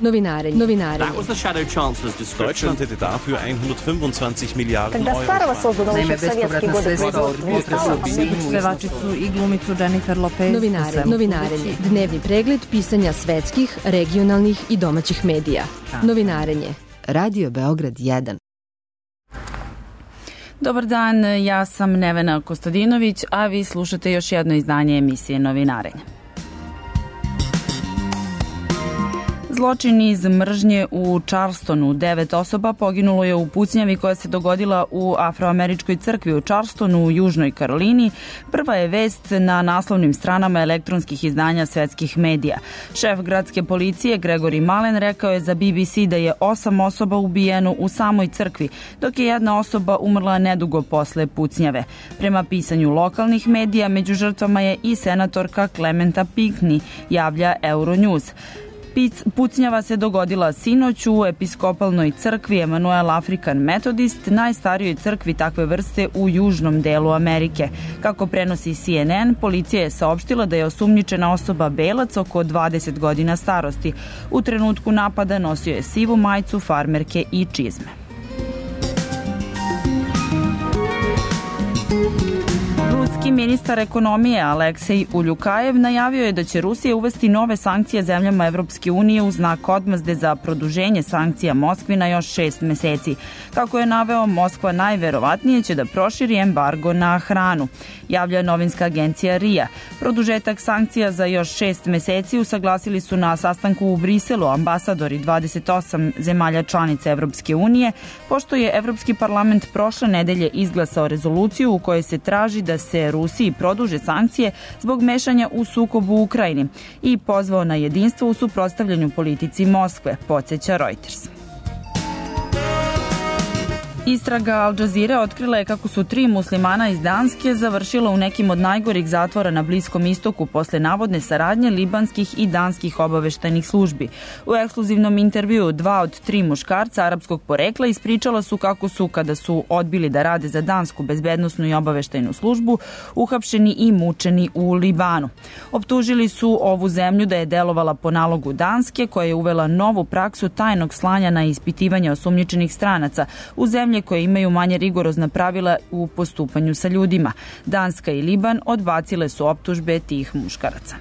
Novinarenje. That was the Shadow Chancellor's description. Deutschland hätte dafür 125 Miliarden Когда Euro. старого создано еще в советские годы производства. Pevačicu i glumicu Jennifer Lopez. Novinarenje. Dnevni pregled pisanja svetskih, regionalnih i domaćih medija. Novinarenje. Radio Beograd 1. Dobar dan, ja sam Nevena Kostadinović, a vi slušate još jedno izdanje emisije Novinarenje. Zločin iz mržnje u Charlestonu. 9 osoba poginulo je u pucnjavi koja se dogodila u Afroameričkoj crkvi u Charlestonu u Južnoj Karolini. Prva je vest na naslovnim stranama elektronskih izdanja svetskih medija. Šef gradske policije Gregory Malen rekao je za BBC da je 8 osoba ubijeno u samoj crkvi, dok je jedna osoba umrla nedugo posle pucnjave. Prema pisanju lokalnih medija, među žrtvama je i senatorka Clementa Pinckney, javlja Euronews. Pucnjava se dogodila sinoć u episkopalnoj crkvi Emanuel African Methodist, najstarijoj crkvi takve vrste u južnom delu Amerike. Kako prenosi CNN, policija je saopštila da je osumnjičena osoba belac oko 20 godina starosti. U trenutku napada nosio je sivu majicu, farmerke i čizme. Ministar ekonomije Aleksej Uljukajev najavio je da će Rusija uvesti nove sankcije zemljama Evropske unije u znak odmazde za produženje sankcija Moskvi na još 6 meseci. Kako je naveo, Moskva najverovatnije će da proširi embargo na hranu, javlja novinska agencija RIA. Produžetak sankcija za još 6 meseci usaglasili su na sastanku u Briselu ambasadori 28 zemalja članica Evropske unije, pošto je Evropski parlament prošle nedelje izglasao rezoluciju u kojoj se traži da se Rusiji produže sankcije zbog mešanja u sukob u Ukrajini i pozvao na jedinstvo u suprotstavljanju politici Moskve, podsjeća Reuters. Istraga Al Jazeera otkrila je kako su 3 muslimana iz Danske završila u nekim od najgorih zatvora na Bliskom istoku posle navodne saradnje libanskih i danskih obaveštajnih službi. U ekskluzivnom intervjuu 2 od 3 muškarca arapskog porekla ispričala su kako su, kada su odbili da rade za dansku bezbednosnu i obaveštajnu službu, uhapšeni i mučeni u Libanu. Optužili su ovu zemlju da je delovala po nalogu Danske, koja je uvela novu praksu tajnog slanja na ispitivanje osumnjičenih stranaca u zemlji koje imaju manje rigorozna pravila u postupanju sa ljudima. Danska i Liban odbacile su optužbe tih muškaraca.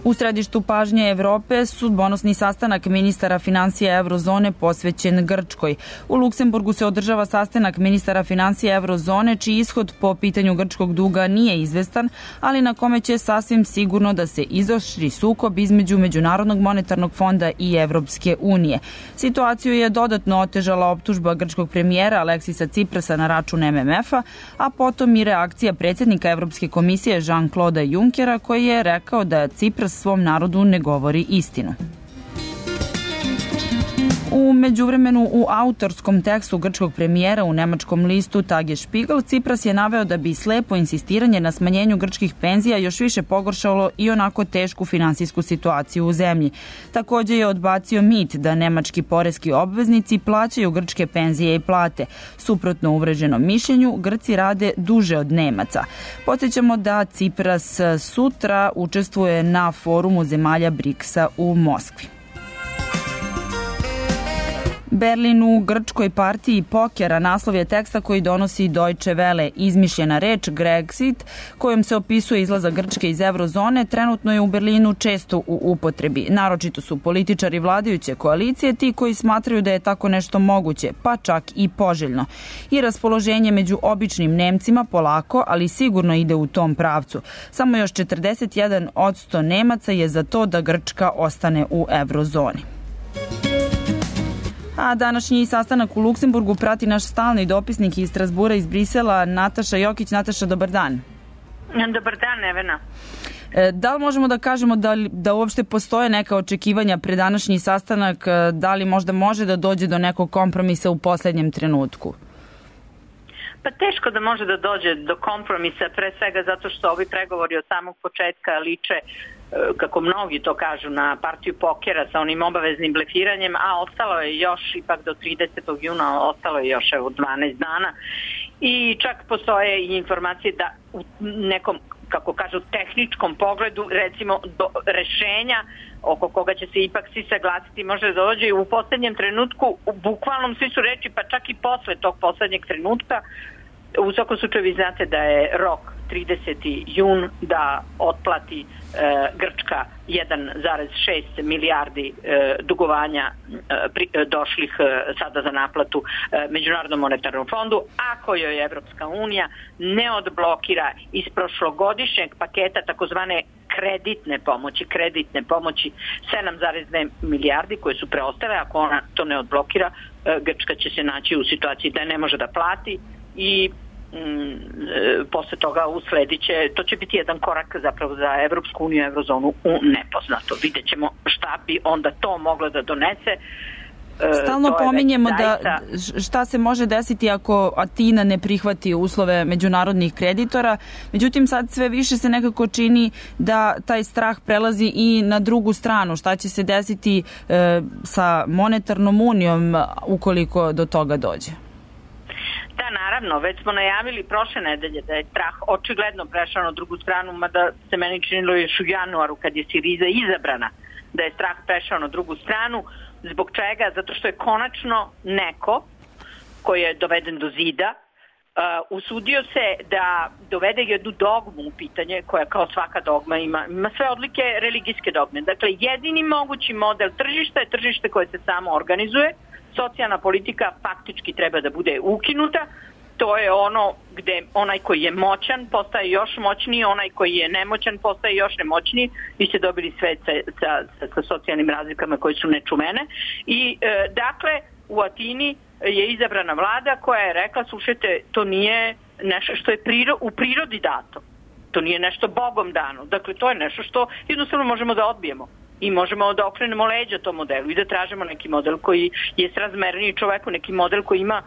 U središtu pažnje Evrope sudbonosni sastanak ministara finansija Eurozone posvećen Grčkoj. U Luksemburgu se održava sastanak ministara finansija Eurozone, čiji ishod po pitanju grčkog duga nije izvestan, ali na kome će sasvim sigurno da se izoštri sukob između Međunarodnog monetarnog fonda i Evropske unije. Situaciju je dodatno otežala optužba grčkog premijera Aleksisa Ciprasa na račun MMF-a, a potom i reakcija predsjednika Evropske komisije Jean-Claude Junckera, koji je rekao da Cipras svom narodu ne govori istinu. U međuvremenu, u autorskom tekstu grčkog premijera u nemačkom listu Tagesspiegel, Cipras je naveo da bi slepo insistiranje na smanjenju grčkih penzija još više pogoršalo i onako tešku finansijsku situaciju u zemlji. Također je odbacio mit da nemački poreski obveznici plaćaju grčke penzije i plate. Suprotno uvreženom mišljenju, Grci rade duže od Nemaca. Podsjećamo da Cipras sutra učestvuje na forumu zemalja BRICS-a u Moskvi. Berlin u grčkoj partiji pokera naslov je teksta koji donosi Deutsche Welle. Izmišljena reč Grexit, kojom se opisuje izlazak Grčke iz eurozone, trenutno je u Berlinu često u upotrebi. Naročito su političari vladajuće koalicije ti koji smatraju da je tako nešto moguće, pa čak i poželjno. I raspoloženje među običnim Nemcima polako, ali sigurno ide u tom pravcu. Samo još 41% Nemaca je za to da Grčka ostane u eurozoni. A današnji sastanak u Luksemburgu prati naš stalni dopisnik iz Strasbura iz Brisela, Nataša Jokić. Nataša, dobar dan. Dobar dan, Nevena. Da li možemo da kažemo da uopšte postoje neka očekivanja pred današnji sastanak, da li možda može da dođe do nekog kompromisa u poslednjem trenutku? Pa teško da može da dođe do kompromisa, pre svega zato što ovi pregovori od samog početka liče, kako mnogi to kažu, na partiju pokera sa onim obaveznim blefiranjem, a ostalo je još, ipak do 30. juna, ostalo je još 12 dana. I čak postoje i informacije da u nekom kako kažu, tehničkom pogledu, recimo do rešenja oko koga će se ipak svi saglasiti, može da dođe i u poslednjem trenutku, u bukvalnom svi su reči, pa čak i posle tog poslednjeg trenutka. U svakom slučaju vi znate da je rok 30. jun da otplati Grčka 1,6 milijardi dugovanja došlih sada za naplatu Međunarodnom monetarnom fondu, ako joj Evropska unija ne odblokira iz prošlogodišnjeg paketa takozvane kreditne pomoći 7,2 milijardi koje su preostale. Ako ona to ne odblokira, Grčka će se naći u situaciji da ne može da plati i posle toga uslediće, to će biti jedan korak zapravo za Evropsku uniju i Eurozonu u nepoznato. Vidjet ćemo šta bi onda to moglo da donese. Stalno pominjemo da šta se može desiti ako Atina ne prihvati uslove međunarodnih kreditora, međutim sad sve više se nekako čini da taj strah prelazi i na drugu stranu. Šta će se desiti sa monetarnom unijom ukoliko do toga dođe? Da, naravno, već smo najavili prošle nedelje da je strah očigledno prešao na drugu stranu, mada se meni činilo još u januaru kad je Siriza izabrana, da je strah prešao na drugu stranu. Zbog čega? Zato što je konačno neko koji je doveden do zida usudio se da dovede jednu dogmu u pitanje, koja kao svaka dogma ima sve odlike religijske dogme. Dakle, jedini mogući model tržišta je tržište koje se samo organizuje. Socijalna politika faktički treba da bude ukinuta. To je ono gde onaj koji je moćan postaje još moćniji, onaj koji je nemoćan postaje još nemoćniji. Vi ste dobili sve sa socijalnim razlikama koje su nečuvene. I dakle, u Atini je izabrana vlada koja je rekla, slušajte, to nije nešto što je u prirodi dato. To nije nešto Bogom dano. Dakle, to je nešto što jednostavno možemo da odbijemo. I možemo da okrenemo leđa tom modelu i da tražimo neki model koji je srazmerniji čoveku, neki model koji ima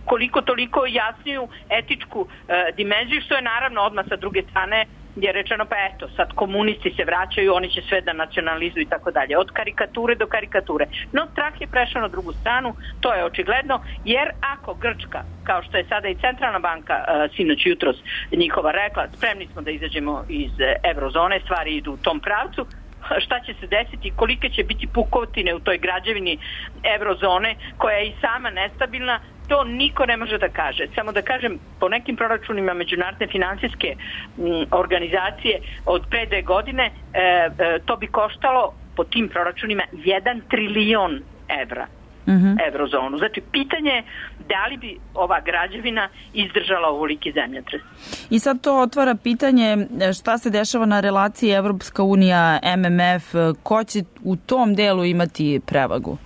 koliko toliko jasniju etičku dimenziju, što je naravno odmah sa druge strane je rečeno, pa eto, sad komunisti se vraćaju, oni će sve da nacionalizuju i tako dalje. Od karikature do karikature. No, strah je prešao na drugu stranu, to je očigledno, jer ako Grčka, kao što je sada i Centralna banka sinoć jutros njihova rekla, spremni smo da izađemo iz eurozone, stvari idu u tom pravcu, šta će se desiti, kolike će biti pukotine u toj građevini eurozone koja je i sama nestabilna, to niko ne može da kaže. Samo da kažem, po nekim proračunima međunarodne finansijske organizacije od pre 2 godine to bi koštalo po tim proračunima 1 trilion evra. Eurozonu. Znači, pitanje je da li bi ova građevina izdržala ovoliki zemljotres. I sad to otvara pitanje šta se dešava na relaciji Evropska unija, MMF, ko će u tom delu imati prevagu?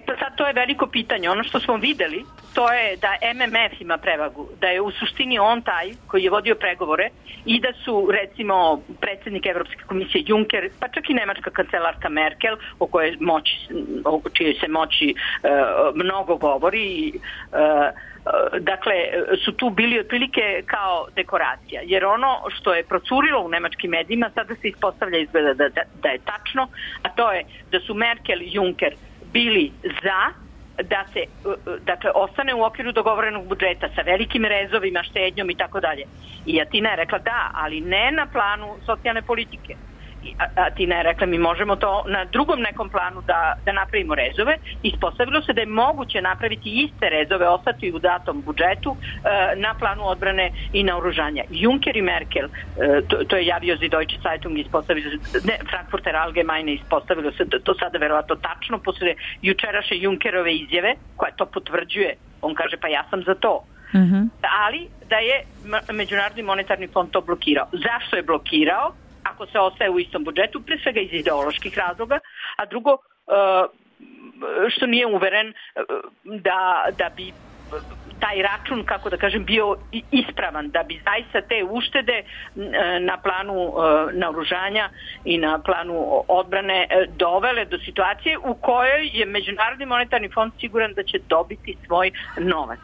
Pa sad to je veliko pitanje. Ono što smo videli, to je da MMF ima prevagu, da je u suštini on taj koji je vodio pregovore i da su, recimo, predsjednik Evropske komisije Juncker, pa čak i nemačka kancelarka Merkel, o čijoj se moći mnogo govori, dakle, su tu bili otprilike kao dekoracija. Jer ono što je procurilo u nemačkim medijima sada se ispostavlja izgleda da je tačno, a to je da su Merkel i Juncker bili za da se, dakle, ostane u okviru dogovorenog budžeta sa velikim rezovima, štednjom i tako dalje. I Atina je rekla da, ali ne na planu socijalne politike. Atina je rekla mi možemo to na drugom nekom planu da napravimo rezove. Ispostavilo se da je moguće napraviti iste rezove, ostati u datom budžetu na planu odbrane i naoružanja. Juncker i Merkel, to je javio za Deutsche Zeitung, Frankfurter Allgemeine, ispostavilo se to sada verovatno tačno posle jučerašnje Junckerove izjave koja to potvrđuje. On kaže pa ja sam za to. Ali da je Međunarodni monetarni fond to blokirao. Zašto je blokirao? Ako se ostaje u istom budžetu, pre svega iz ideoloških razloga, a drugo, što nije uveren da bi taj račun, kako da kažem, bio ispravan, da bi zaista te uštede na planu naoružanja i na planu odbrane dovele do situacije u kojoj je Međunarodni monetarni fond siguran da će dobiti svoj novac.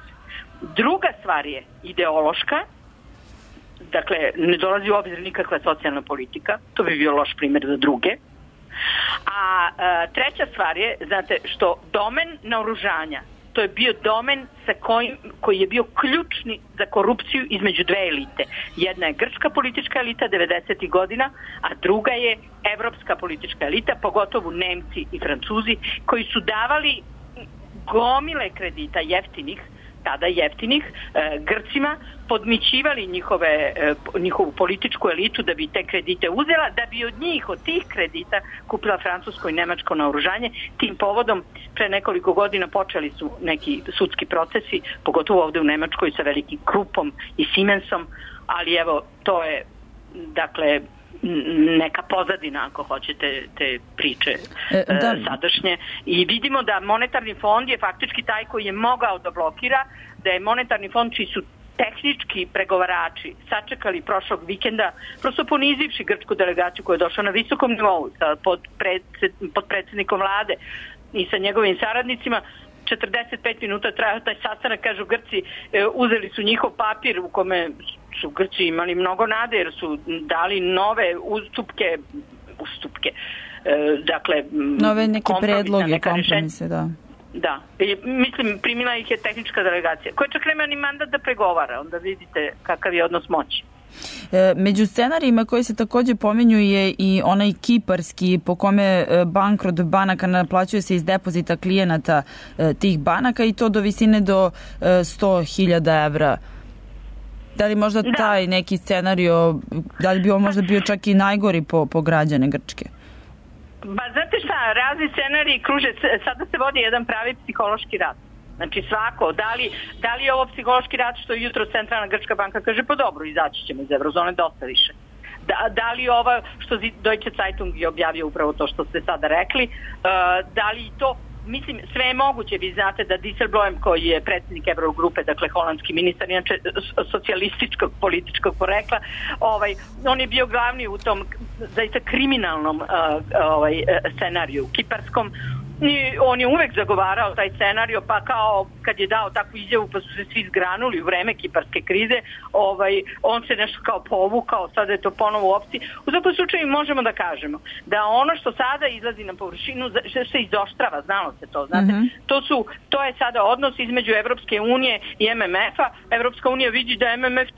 Druga stvar je ideološka. Dakle, ne dolazi u obzir nikakva socijalna politika, to bi bio loš primjer za druge. A treća stvar je, znate, što domen naoružanja, to je bio domen koji je bio ključni za korupciju između dve elite. Jedna je grčka politička elita 90. godina, a druga je evropska politička elita, pogotovo Nemci i Francuzi, koji su davali gomile kredita tada jeftinih Grcima, podmićivali njihovu političku elitu da bi te kredite uzela, da bi od tih kredita kupila francusko i nemačko naoružanje. Tim povodom pre nekoliko godina počeli su neki sudski procesi, pogotovo ovde u Nemačkoj sa velikim Krupom i Siemensom, ali evo, to je dakle neka pozadina, ako hoćete, te priče sadašnje. I vidimo da monetarni fond je faktički taj koji je mogao da blokira, da je monetarni fond čiji su tehnički pregovarači sačekali prošlog vikenda, prosto ponizivši grčku delegaciju koja je došla na visokom nivou pod predsjednikom vlade i sa njegovim saradnicima. 45 minuta trajao taj sastanak, kažu Grci, uzeli su njihov papir u kome su Grci imali mnogo nade jer su dali nove ustupke, dakle nove neke predloge, kompromise, da. Da, mislim, primila ih je tehnička delegacija, koja čak nema ni mandat da pregovara, onda vidite kakav je odnos moći. Među scenarijima koji se takođe pominju je i onaj kiparski po kome bankrot banaka naplaćuje se iz depozita klijenata tih banaka i to do visine do 100.000 evra. Da li možda taj neki scenario, da li bi on možda bio čak i najgori po građane Grčke? Ba, znate šta, razni scenariji kruže, sada se vodi jedan pravi psihološki rat. Znači svako, da li je ovo psihološki rat što jutro Centralna Grčka banka kaže pa dobro, izaći ćemo iz eurozone dosta više. Da li ovo što Deutsche Zeitung je objavio upravo to što ste sada rekli, da li to, mislim, sve je moguće. Vi znate da Dijsselbloem, koji je predsjednik Eurogrupe, dakle holandski ministar, inače socijalističkog političkog porekla, on je bio glavni u tom zaista kriminalnom scenariju kiparskom. I on je uvek zagovarao taj scenario, pa kao kad je dao takvu izjavu pa su se svi zgranuli u vreme kiparske krize, on se nešto kao povukao, sada je to ponovo u opciji. U svakom slučaju možemo da kažemo da ono što sada izlazi na površinu se izoštrava, znalo se to, znate. To je sada odnos između Evropske unije i MMF-a. Evropska unija vidi da MMF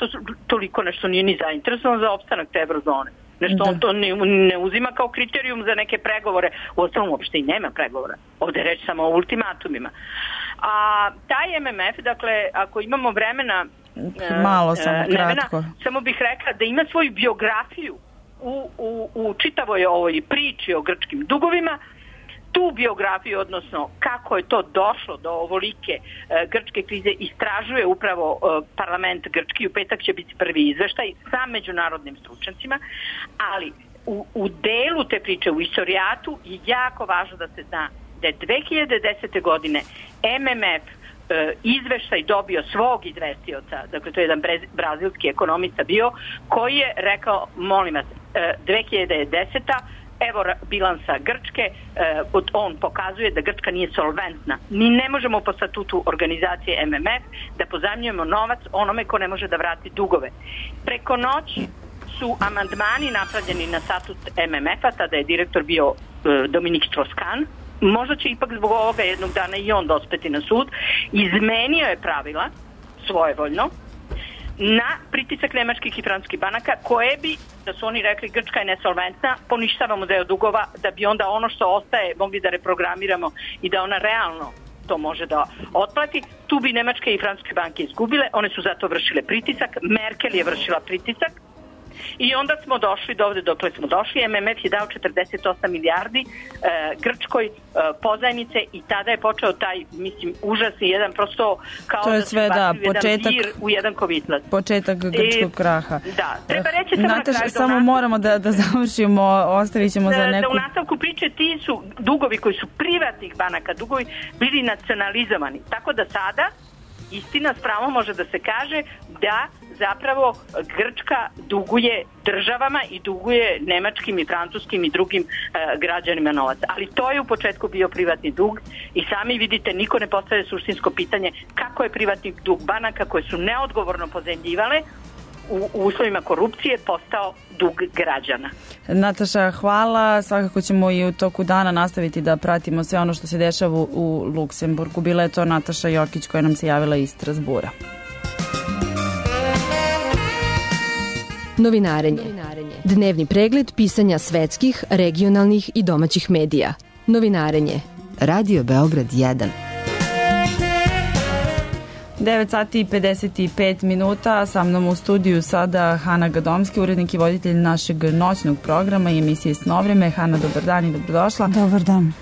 toliko nešto nije ni zainteresovan za opstanak te eurozone. Nešto on to ne uzima kao kriterijum za neke pregovore. U osnovu uopšte i nema pregovora. Ovde je reč samo o ultimatumima. A taj MMF, dakle, ako imamo vremena, malo samo kratko, samo bih rekla da ima svoju biografiju u čitavoj ovoj priči o grčkim dugovima. Tu biografiju, odnosno kako je to došlo do ovolike grčke krize, istražuje upravo parlament grčki. U petak će biti prvi izveštaj sa međunarodnim stručnjacima, ali u delu te priče, u istorijatu, je jako važno da se zna da je 2010. godine MMF izveštaj dobio svog izvestioca, dakle to je jedan brazilski ekonomista bio, koji je rekao, molim vas, 2010. Evo bilansa Grčke, on pokazuje da Grčka nije solventna. Mi ne možemo po statutu organizacije MMF da pozajmljujemo novac onome ko ne može da vrati dugove. Preko noći su amandmani napravljeni na statut MMF-a, tada je direktor bio Dominik Strauss-Kahn. Možda će ipak zbog ovoga jednog dana i on dospeti na sud. Izmenio je pravila svojevoljno na pritisak nemačkih i francuskih banaka, koje bi, da su oni rekli Grčka je nesolventna, poništavamo deo dugova, da bi onda ono što ostaje mogli da reprogramiramo i da ona realno to može da otplati. Tu bi nemačke i francuske banke izgubile, one su zato vršile pritisak, Merkel je vršila pritisak i onda smo došli do ovde dokle smo došli. MMF je dao 48 milijardi Grčkoj pozajmice i tada je počeo taj, mislim, užasni jedan, prosto kao to je sve, da, početak, u jedan kovitlac. Početak grčkog kraha. Da, treba reći samo na kraju. Samo moramo da završimo, ostavit ćemo za neku... Da u nastavku priče ti su dugovi koji su privatnih banaka, dugovi bili nacionalizovani. Tako da sada, istina, s pravom može da se kaže da zapravo Grčka duguje državama i duguje nemačkim i francuskim i drugim građanima novac. Ali to je u početku bio privatni dug i sami vidite, niko ne postavlja suštinsko pitanje kako je privatni dug banaka koje su neodgovorno pozajmljivale u uslovima korupcije postao dug građana. Nataša, hvala. Svakako ćemo i u toku dana nastaviti da pratimo sve ono što se dešava u Luksemburgu. Bila je to Nataša Jokić koja nam se javila iz Strasbura. Novinarenje. Dnevni pregled pisanja svetskih, regionalnih i domaćih medija. Novinarenje. Radio Beograd 1. 9 sati i 55 minuta, sa mnom u studiju sada Hana Gadomski, urednik i voditelj našeg noćnog programa i emisije Snovreme. Hana, dobar dan i dobrodošla. Dobar dan.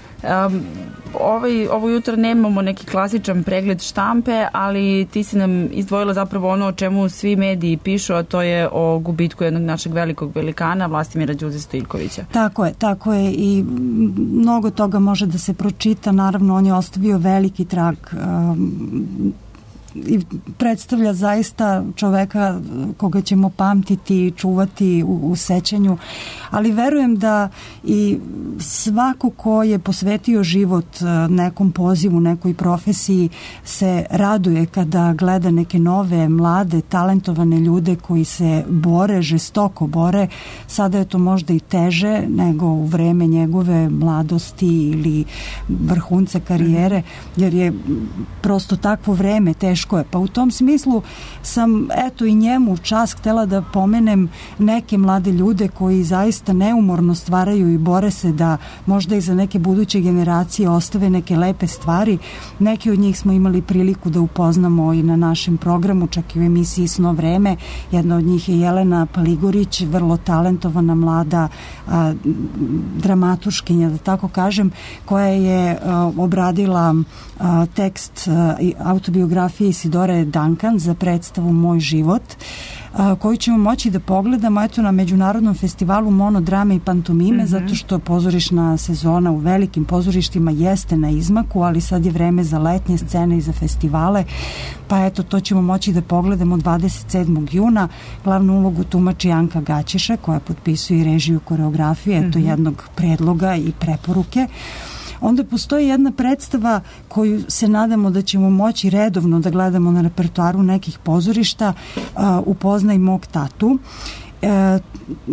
Ovo jutro nemamo neki klasičan pregled štampe, ali ti si nam izdvojila zapravo ono o čemu svi mediji pišu, a to je o gubitku jednog našeg velikog velikana, Vlastimira Đurđe Stojiljkovića. Tako je i mnogo toga može da se pročita, naravno on je ostavio veliki trag i predstavlja zaista čoveka koga ćemo pamtiti i čuvati u sećanju, ali verujem da i svako ko je posvetio život nekom pozivu, nekoj profesiji se raduje kada gleda neke nove, mlade, talentovane ljude koji se bore, žestoko bore. Sada je to možda i teže nego u vreme njegove mladosti ili vrhunca karijere, jer je prosto takvo vreme, teško je. Pa u tom smislu sam i njemu čas htela da pomenem neke mlade ljude koji zaista neumorno stvaraju i bore se da možda i za neke buduće generacije ostave neke lepe stvari. Neki od njih smo imali priliku da upoznamo i na našem programu, čak i u emisiji Sno vreme. Jedna od njih je Jelena Paligorić, vrlo talentovana mlada dramaturškinja, da tako kažem, koja je obradila tekst autobiografije Isidore Duncan za predstavu Moj život, koju ćemo moći da pogledamo na Međunarodnom festivalu monodrame i pantomime, zato što pozorišna sezona u velikim pozorištima jeste na izmaku, ali sad je vreme za letnje scene i za festivale, pa to ćemo moći da pogledamo 27. juna. Glavnu ulogu tumači Anka Gaćeša, koja potpisuje i režiju koreografije, jednog predloga i preporuke. Onda postoji jedna predstava koju se nadamo da ćemo moći redovno da gledamo na repertoaru nekih pozorišta, Upoznaj mog tatu.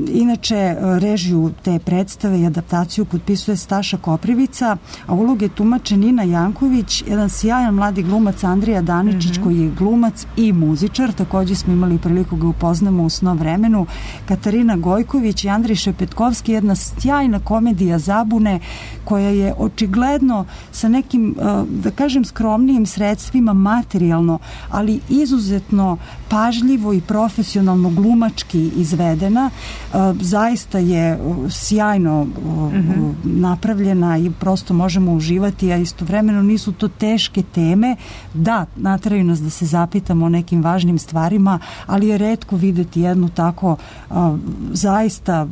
Inače, režiju te predstave i adaptaciju potpisuje Staša Koprivica, a uloge tumače Nina Janković, jedan sjajan mladi glumac Andrija Daničić, koji je glumac i muzičar, također smo imali priliku ga upoznamo u Sno vremenu, Katarina Gojković i Andrej Šepetkovski, jedna sjajna komedija zabune koja je očigledno sa nekim, da kažem, skromnijim sredstvima materijalno, ali izuzetno pažljivo i profesionalno glumački izvedena. Zaista je sjajno napravljena i prosto možemo uživati, a istovremeno nisu to teške teme. Da, nateraju nas da se zapitamo o nekim važnim stvarima, ali je retko videti jednu tako zaista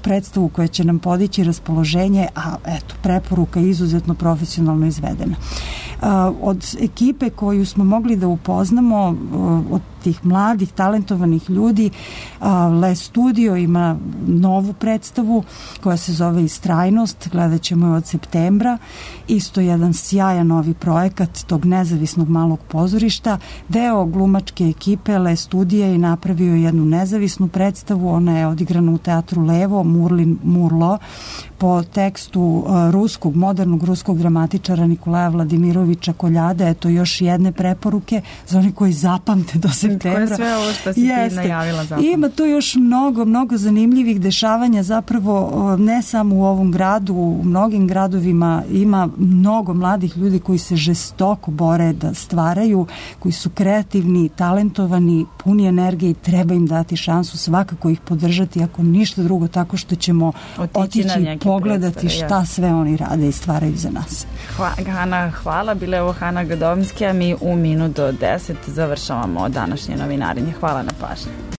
predstavu koja će nam podići raspoloženje, a preporuka je izuzetno profesionalno izvedena. Od ekipe koju smo mogli da upoznamo, od tih mladih, talentovanih ljudi, Le Studio ima novu predstavu koja se zove Istrajnost, gledat ćemo je od septembra, isto jedan sjajan novi projekat tog nezavisnog malog pozorišta. Deo glumačke ekipe Le Studija je napravio jednu nezavisnu predstavu, ona je odigrana u teatru Levo, Murlin Murlo, po tekstu modernog ruskog dramatičara Nikolaja Vladimirovića Koljada. Eto još jedne preporuke za oni koji zapamte do septembra. Koje sve ovo što si ti najavila zapravo. Ima tu još mnogo zanimljivih dešavanja, zapravo ne samo u ovom gradu, u mnogim gradovima ima mnogo mladih ljudi koji se žestoko bore da stvaraju, koji su kreativni, talentovani, puni energije i treba im dati šansu, svakako ih podržati, ako ništa drugo, tako što ćemo otići pogledati šta sve oni rade i stvaraju za nas. Hana, hvala. Bila je ovo Hana Gadomski, a mi u minut do 10 završavamo današnje novinarenje. Hvala na pažnju.